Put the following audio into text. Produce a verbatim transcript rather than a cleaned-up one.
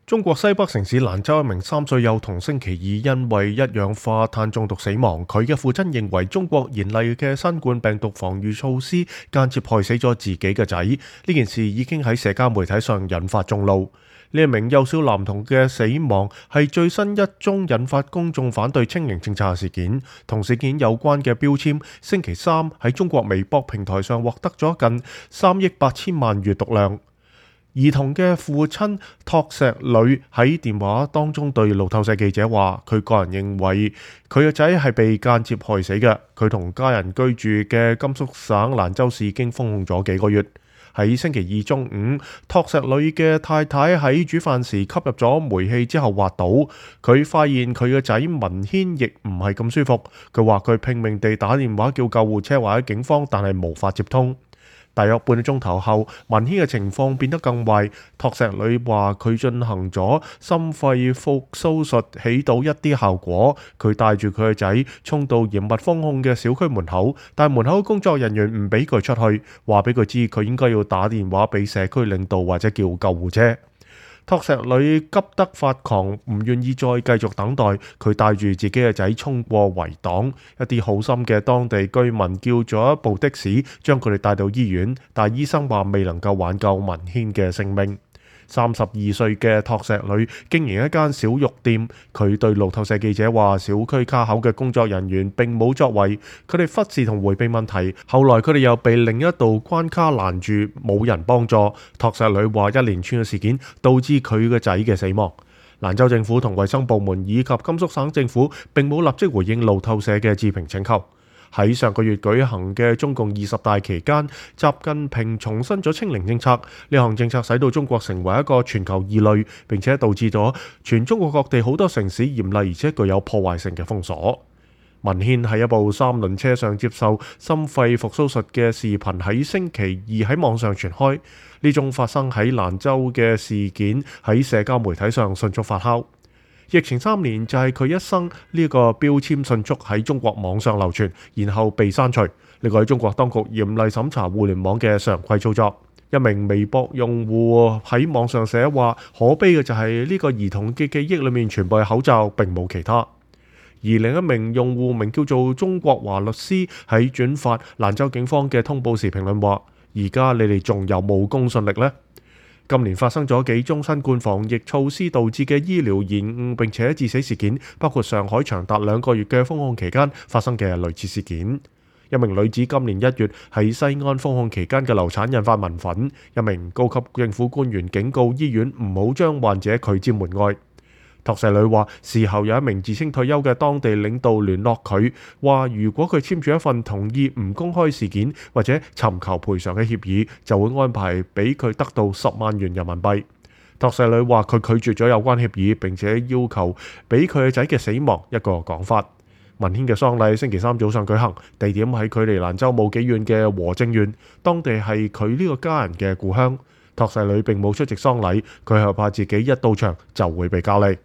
中國西北城市蘭州一名三歲幼童星期二因為一氧化碳中毒死亡，佢嘅父親認為中國嚴厲嘅新冠病毒防禦措施間接害死咗自己嘅仔。呢件事已經喺社交媒體上引發眾怒。呢一名幼小男童嘅死亡係最新一宗引發公眾反對清零政策嘅事件，同事件有關嘅標籤星期三喺中國微博平台上獲得咗近三億八千萬閱讀量。兒童嘅父親托石磊喺電話當中對路透社記者話，佢個人認為佢嘅仔係被間接害死嘅。佢同家人居住嘅甘肅省蘭州市已經封控咗幾個月。喺星期二中午，托石磊嘅太太喺煮飯時吸入咗煤氣之後滑倒，佢發現佢嘅仔文軒亦唔係咁舒服。佢話佢拼命地打電話叫救護車或者警方，但係無法接通。大約半個鐘頭後，文軒嘅情況變得更壞。托石磊話佢進行咗心肺復甦術，起到一啲效果。佢帶住佢嘅仔衝到嚴密封控嘅小區門口，但門口工作人員唔俾佢出去，話俾佢知佢應該要打電話俾社區領導或者叫救護車。托石磊急得發狂，唔願意再繼續等待。佢帶住自己嘅仔衝過圍擋，一啲好心嘅當地居民叫咗一部的士，將佢哋帶到醫院，但醫生話未能夠挽救文軒嘅性命。三十二歲嘅托石磊經營一間小肉店，佢對路透社記者話：小區卡口嘅工作人員並冇作為，佢哋忽視同迴避問題。後來佢哋又被另一道關卡攔住，冇人幫助。托石磊話：一連串嘅事件導致佢嘅仔嘅死亡。蘭州政府同衛生部門以及甘肅省政府並冇立即回應路透社嘅置評請求。喺上個月舉行嘅中共二十大期間，習近平重申咗清零政策。呢項政策使到中國成為一個全球異類，並且導致咗全中國各地好多城市嚴厲而且具有破壞性嘅封鎖。文軒喺一部三輪車上接受心肺復甦術嘅視頻喺星期二喺網上傳開。呢種發生喺蘭州嘅事件喺社交媒體上迅速發酵。疫情三年就係佢一生呢個標籤迅速喺中國網上流傳，然後被刪除。呢個係中國當局嚴厲審查互聯網嘅常規操作。一名微博用戶喺網上寫話：可悲嘅就係呢個兒童嘅記憶裏面全部係口罩，並冇其他。而另一名用戶名叫做中國華律師喺轉發蘭州警方嘅通報時評論話：而家你哋仲有冇公信力呢？今年發生咗幾宗新冠防疫措施導致嘅醫療延誤並且致死事件，包括上海長達兩個月嘅封控期間發生嘅類似事件。一名女子今年一月喺西安封控期間嘅流產引發民憤，一名高級政府官員警告醫院唔好將患者拒之門外。托石磊話，事後有一名自稱退休嘅當地領導聯絡佢，話如果佢簽署一份同意唔公開事件或者尋求賠償嘅協議，就會安排俾佢得到十萬元人民幣。托石磊話佢拒絕咗有關協議，並且要求俾佢嘅仔嘅死亡一個講法。文軒嘅喪禮星期三早上舉行，地點喺距離蘭州冇幾遠嘅和正縣，當地係佢呢個家人嘅故鄉。托石磊並冇出席喪禮，佢係怕自己一到場就會被隔離。